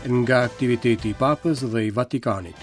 Nga aktiviteti i Papës dhe i Vatikanit.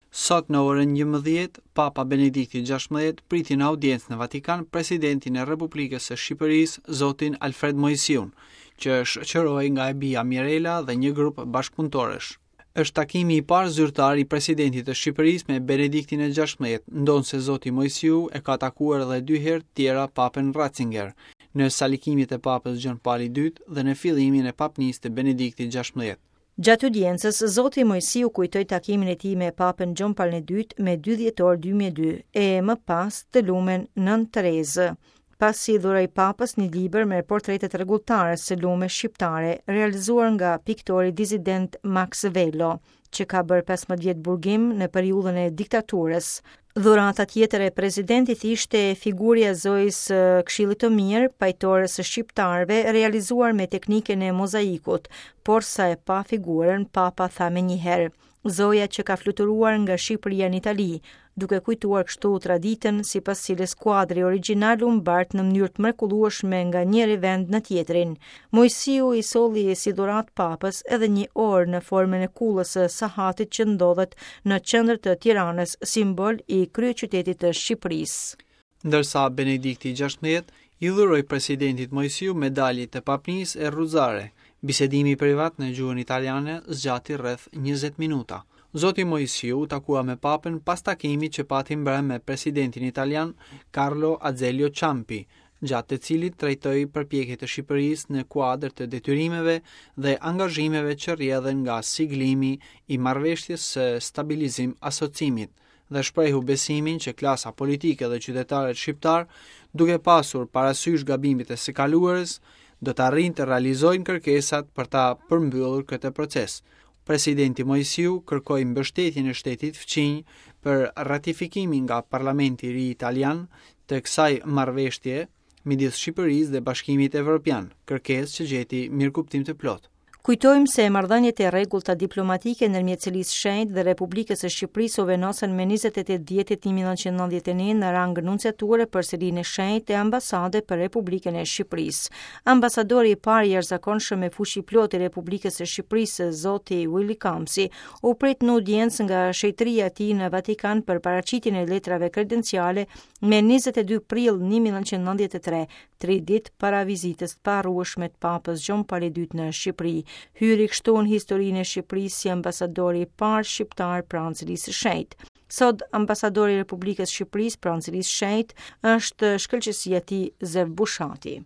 Sot në orën 11, Papa Benedikti XVI priti në audiencë në Vatikan presidentin e Republikës së Shqipërisë, zotin Alfred Moisiun, që shoqërohej nga e bija Mirela dhe një grup bashkëpunëtorësh. Është takimi i parë zyrtar i presidentit të Shqipërisë me Benediktin e XVI, ndonëse zoti Moisiu e ka takuar edhe dy herë tjera Papën Ratzinger, në salikimet e Papës Gjon Pali II dhe në fillimin e papnisë të Benediktit XVI. Gjatë audiencës, zoti Moisiu kujtoi takimin e tij me Papën Gjon Palin e II me 2 dhjetor 2002 e më pas të lumen Nënë Terezë pasi i dhuroi Papës një libër me portretet e rregulltares së lume shqiptare, realizuar nga piktori disident Maks Velo, që ka bërë 15 vjet burgim në periudhën e diktaturës. Dhurata tjetër e presidentit ishte figurja e Zojës së Këshillit të Mirë, pajtores së shqiptarëve, realizuar me teknikën e mozaikut, por sa e pa figurën, Papa tha menjëherë, Zoja që ka fluturuar nga Shqipëria në Itali, duke kujtuar kështu traditën sipas cilës kuadri origjinal u mbart në mënyrë të mrekullueshme nga njëri vend në tjetrin. Moisiu i solli si dhuratë Papës edhe një orë në formën e kullës së sahatit që ndodhet në qendër të Tiranës, simbol i kryeqytetit të Shqipërisë. Ndërsa Benedikti XVI i dhuroi presidentit Moisiu medalje të papnisë e rruzare. Bisedimi privat në gjuhën italiane zgjati rreth 20 minuta. Zoti Moisiu u takua me papën pas takimit që pati mbrëmë me presidentin italian Carlo Azeglio Ciampi, gjatë të cilit trajtoi përpjekjet e Shqipërisë në kuadër të detyrimeve dhe angazhimeve që rrjedhin nga siglimi i marrëveshjes së stabilizim asociimit dhe shprehu besimin që klasa politike dhe qytetarët shqiptarë, duke pasur parasysh gabimet e së kaluarës, do të arrijnë të realizojnë kërkesat për ta përmbyllur këtë proces. Presidenti Moisiu kërkoi mbështetjen e shtetit fqinj për ratifikimin nga Parlamenti i ri italian të kësaj marrëveshje midis Shqipërisë dhe Bashkimit Evropian, kërkesë që gjeti mirëkuptim të plotë. Kujtojmë se marrëdhëniet e rregullta diplomatike ndërmjet Selisë Shenjtë dhe Republikës së Shqipërisë u vendosën me 28 dhjetor 1991 në rang nunciature për Selinë e Shenjtë e ambasade për Republikën e Shqipërisë. Ambasadori i parë i jashtëzakonshëm me fuqi plotë i Republikës së Shqipërisë, zoti Willy Kamsi, u prit në audiencë nga shenjtëria e tij në Vatikan për paraqitjen e letrave kredenciale me 22 prill 1993, tri ditë para vizitës të paharrueshme të Papës Gjon Pali II në Shqipëri. Hyri kështu në historinë e Shqipërisë si ambasadori i parë shqiptar pranë Selisë së Shenjtë. Sot ambasadori i Republikës së Shqipërisë pranë Selisë së Shenjtë është shkëlqesia e tij Zef Bushati.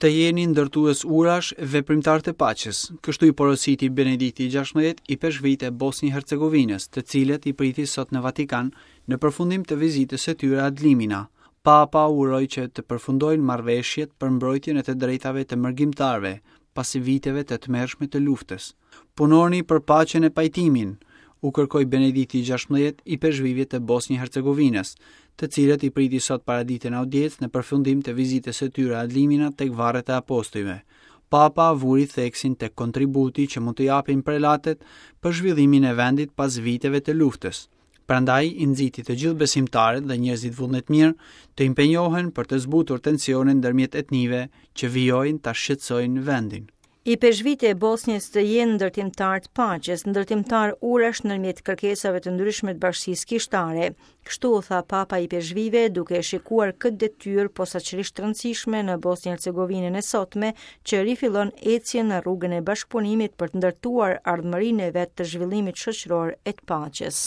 Të jeni ndërtues urash, veprimtarë të paqes, kështu i porositi Benedikti XVI ipeshkvijtë e Bosnjë-Hercegovinës, të cilët i priti sot në Vatikan Në përfundim të vizitës së tyre ad limina, Papa uroi që të përfundojnë marrëveshjet për mbrojtjen e të drejtave të mërgimtarëve pas viteve të tmerrshme të luftës. Punoni për paqen e pajtimin, u kërkoi Benedikti XVI ipeshkvijve të Bosnjë-Hercegovinës, të cilët i priti sot paradite në audiencë në përfundim të vizitës së tyre ad limina tek varret e apostujve. Papa vuri theksin tek kontributi që mund të japin prelatët për zhvillimin e vendit pas viteve të luftës. Prandaj i nxiti të gjithë besimtarët dhe njerëzit vullnetmirë të impenjohen për të zbutur tensionet ndërmjet etnive që vijojnë ta shqetësojnë vendin. Ipeshkvijtë e Bosnjës të jenë ndërtimtarë të paqes, ndërtimtarë urash ndërmjet kërkesave të ndryshme të bashkësisë kishtare. Kështu u tha Papa ipeshkvijve duke e shikuar këtë detyrë posaçërisht të rëndësishme në Bosnjë-Hercegovinën e sotme, që rifillon ecjen në rrugën e bashkëpunimit për të ndërtuar ardhmërinë e vet të zhvillimit shoqëror e të paqes.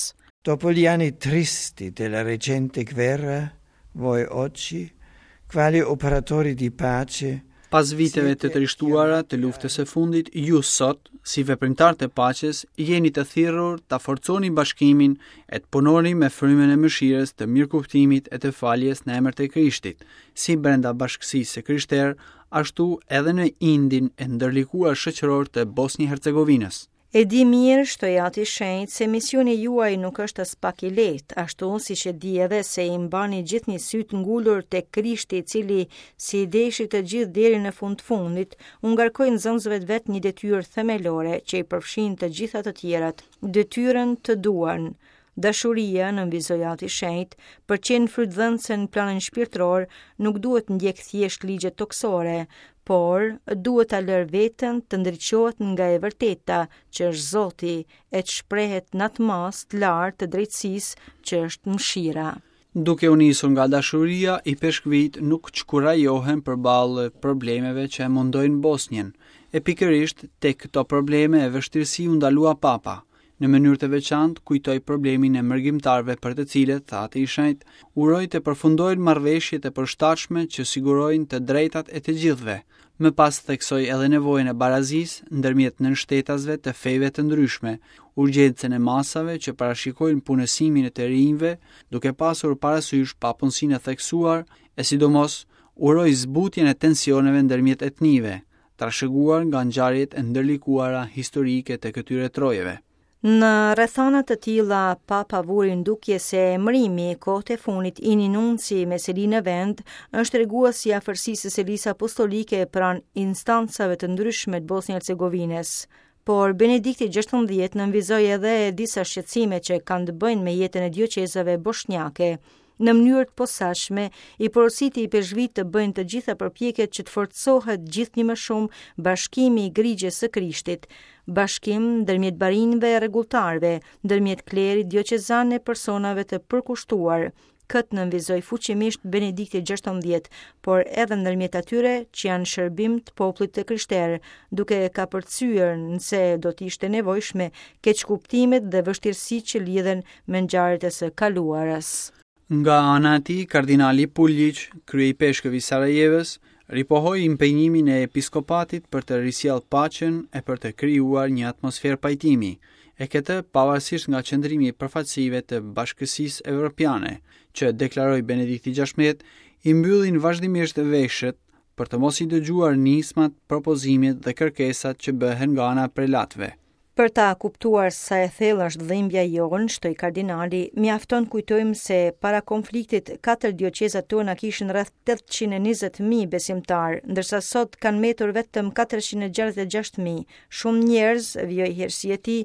Dopo gli anni tristi della recente guerra, voi oggi, quali operatori di pace, Pas viteve të trishtuara të luftës së fundit, ju sot, si veprimtarë të paqes, jeni të thirrur ta forconi bashkimin e të punoni me frymën e mëshirës, të mirëkuptimit e të faljes në emër të Krishtit, si brenda bashkësisë së krishterë, ashtu edhe në indin e ndërlikuar shoqëror të Bosnjë-Hercegovinës. E di mirë, shtoi Ati i Shenjtë, se misioni juaj nuk është aspak i lehtë, ashtu siç e di edhe se i mbani gjithnjë sytë ngulur tek Krishti i cili, si i deshi të gjithë deri në fund të fundit, u ngarkoi nxënësve të vet një detyrë themelore që i përfshin të gjitha të tjerat, detyrën të duan. Dashuria, nënvizoi Ati i Shenjtë, për të qenë frytdhënëse në planin shpirtëror, nuk duhet të ndjekë thjesht ligjet tokësore, por duhet ta lërë veten të ndriçohet nga e vërteta, që është Zoti, e të shprehet në atë masë të lartë të drejtësisë që është mëshira. Duke u nisur nga dashuria, ipeshkvijtë nuk çkurajohen përballë problemeve që e mundojnë Bosnjën. E pikërisht tek këto probleme e vështirësi u ndalua Papa. Në mënyrë të veçantë kujtoi problemin e mërgimtarëve për të cilët, tha Ati i Shenjtë, uroi të përfundojnë marrëveshjet e përshtatshme që sigurojnë të drejtat e të gjithëve. Më pas theksoi edhe nevojën e barazisë ndërmjet nënshtetasve të feve të ndryshme, urgjencën e masave që parashikojnë punësimin e të rinjve, duke pasur parasysh papunësinë e theksuar e sidomos uroi zbutjen e tensioneve ndërmjet etnive, trashëguar nga ngjarjet e ndërlikuara historike të këtyre trojeve. Në rrethana të tilla, Papa vuri në dukje se emërimi kohët e fundit i një nunci me seli në vend është tregues i afërsisë së Selisë Apostolike pranë instancave të ndryshme të Bosnjë-Hercegovinës. Por Benedikti XVI nënvizoi edhe disa shqetësime që kanë të bëjnë me jetën e dioqezave boshnjake. Në mënyrë të posaçme, i porositi ipeshkvijtë të bëjnë të gjitha përpjekjet që të forcohet gjithnjë më shumë bashkimi i grigjes së Krishtit, bashkim ndërmjet barinjve e rregulltarëve, ndërmjet klerit dioqezan e personave të përkushtuar. Këtë nënvizoi fuqimisht Benedikti XVI, por edhe ndërmjet atyre që janë në shërbim të popullit të krishterë, duke kapërcyer nëse do të ishte e nevojshme keqkuptimet dhe vështirësitë që lidhen me ngjarjet e së kaluarës. Nga ana e tij, kardinali Puljiq, kryeipeshkëv i Sarajevës, ripohoi impenjimin e episkopatit për të risjellë paqen e për të krijuar një atmosferë pajtimi, e këtë pavarësisht nga qëndrimi i përfaqësive të Bashkësisë Evropiane, që, deklaroi Benedikti XVI, i mbyllin vazhdimisht veshët për të mos i dëgjuar nismat, propozimet dhe kërkesat që bëhen nga ana e prelatëve. Për ta kuptuar sa e thellë është dhimbja jonë, shtoi kardinali, mjafton të kujtojmë se para konfliktit katër dioqezat tona kishin rreth 820.000 besimtarë, ndërsa sot kanë mbetur vetëm 466.000. Shumë njerëz, vijoi herësia e tij,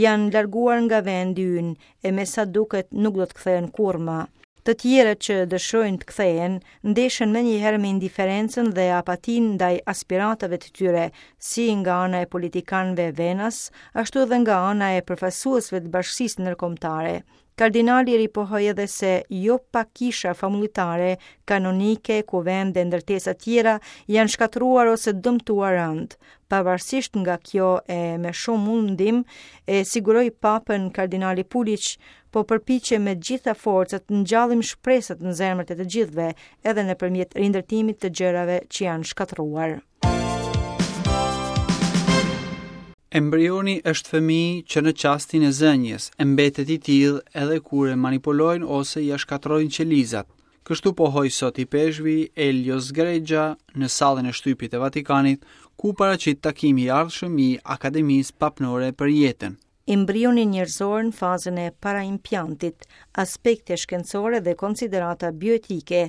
janë larguar nga vendi ynë, e me sa duket nuk do të kthehen kurrë më. Të tjerët që dëshirojnë të kthehen, ndeshen menjëherë me indiferencën dhe apatinë ndaj aspiratave të tyre, si nga ana e politikanëve vendas, ashtu edhe nga ana e përfaqësuesve të bashkësisë ndërkombëtare. Kardinali ripohoi edhe se jo pak kisha famullitare, kanonike, kuvende e ndërtesa tjera janë shkatërruar ose dëmtuar rëndë. Pavarësisht nga kjo e me shumë mundim, e siguroi papën kardinali Puljiq, po përpiqemi me të gjitha forcat të ngjallim shpresat në zemrat e të gjithëve, edhe nëpërmjet rindërtimit të gjërave që janë shkatërruar. Embrioni është fëmijë që në çastin e zënies, e mbetet i tillë edhe kur e manipulojnë ose ia shkatërrojnë qelizat. Kështu pohoi sot ipeshkvi Elio Sgreccia në sallën e shtypit të Vatikanit, ku u paraqit takimi i ardhshëm i Akademisë Papnore për Jetën. Embrioni njerëzor në fazën e paraimpiantit, aspekte shkencore dhe konsiderata bioetike,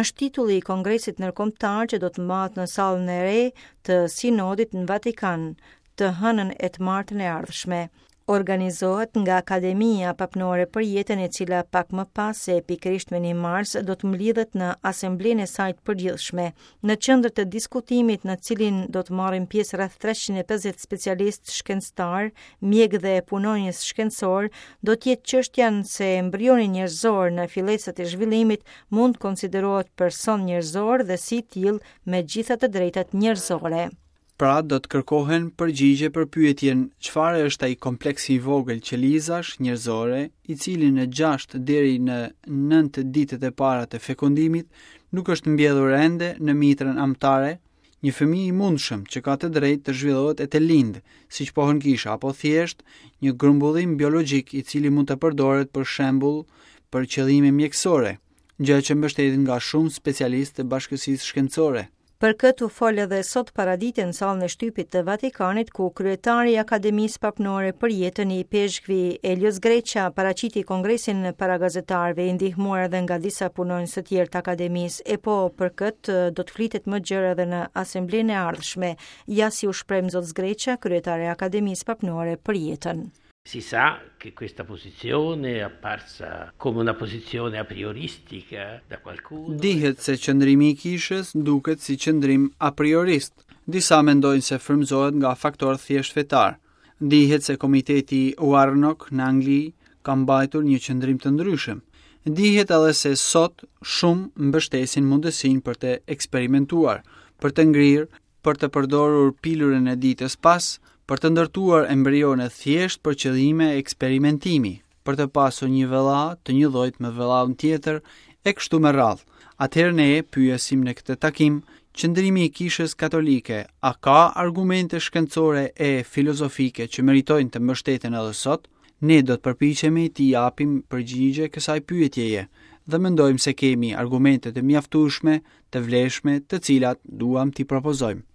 është titulli i Kongresit Ndërkombëtar që do të mbahet në sallën e re të Sinodit në Vatikan, të hënën e të martën e ardhshme. Organizohet nga Akademia Papnore për Jetën e cila pak më pas e pikërisht me 1 mars do të mblidhet në asamblenë e saj të përgjithshme. Në qendër të diskutimit në cilin do të marrin pjesë rreth 350 specialistë shkencëtarë, mjekë dhe punonjës shkencorë, do të jetë çështja nëse embrioni njerëzor në fillesat e zhvillimit mund të konsiderohet person njerëzor dhe si i tillë me gjitha të drejtat njerëzore. Pra do të kërkohen përgjigje për pyetjen çfarë është ai kompleks i vogël qelizash njerëzore, i cili në 6 deri në 9 ditët e para të fekondimit nuk është mbjellur ende në mitrën amtare, një fëmijë i mundshëm që ka të drejtë të zhvillohet e të lindë, siç pohon kisha, apo thjesht një grumbullim biologjik i cili mund të përdoret për shembull për qëllime mjekësore, gjë që mbështetet nga shumë specialistë të bashkësisë shkencore. Për këtë u fol edhe sot paradite në sallën e shtypit të Vatikanit, ku kryetari i Akademisë Papnore për Jetën ipeshkvi Elio Sgreccia paraqiti kongresin para gazetarëve, i ndihmuar edhe nga disa punonjës të tjerë të akademisë. E po për këtë do të flitet më gjerë edhe në asamblenë e ardhshme. Ja si u shpreh Zot Sgreccia, kryetar i Akademisë Papnore për Jetën. Si sa che questa posizione è apparsa come una posizione aprioristica da qualcuno. Dihet se qëndrimi i kishës duket si qëndrim apriorist. Disa mendojnë se frymëzohet nga faktorë thjesht fetarë. Dihet se komiteti Warnock në Angli ka mbajtur një qëndrim të ndryshëm. Dihet edhe se sot shumë mbështesin mundësinë për të eksperimentuar, për të ngrirë, për të përdorur pilulën e ditës pas, për të ndërtuar embrione thjesht për qëllime eksperimentimi, për të pasur një vëlla të njëllojtë me vëllaun tjetër e kështu me radhë. Atëherë ne pyesim në këtë takim, qëndrimi i Kishës Katolike, a ka argumente shkencore e filozofike që meritojnë të mbështeten edhe sot? Ne do të përpiqemi t'i japim përgjigje kësaj pyetjeje dhe mendojmë se kemi argumente të mjaftueshme të vlefshme të cilat duam t'i propozojmë.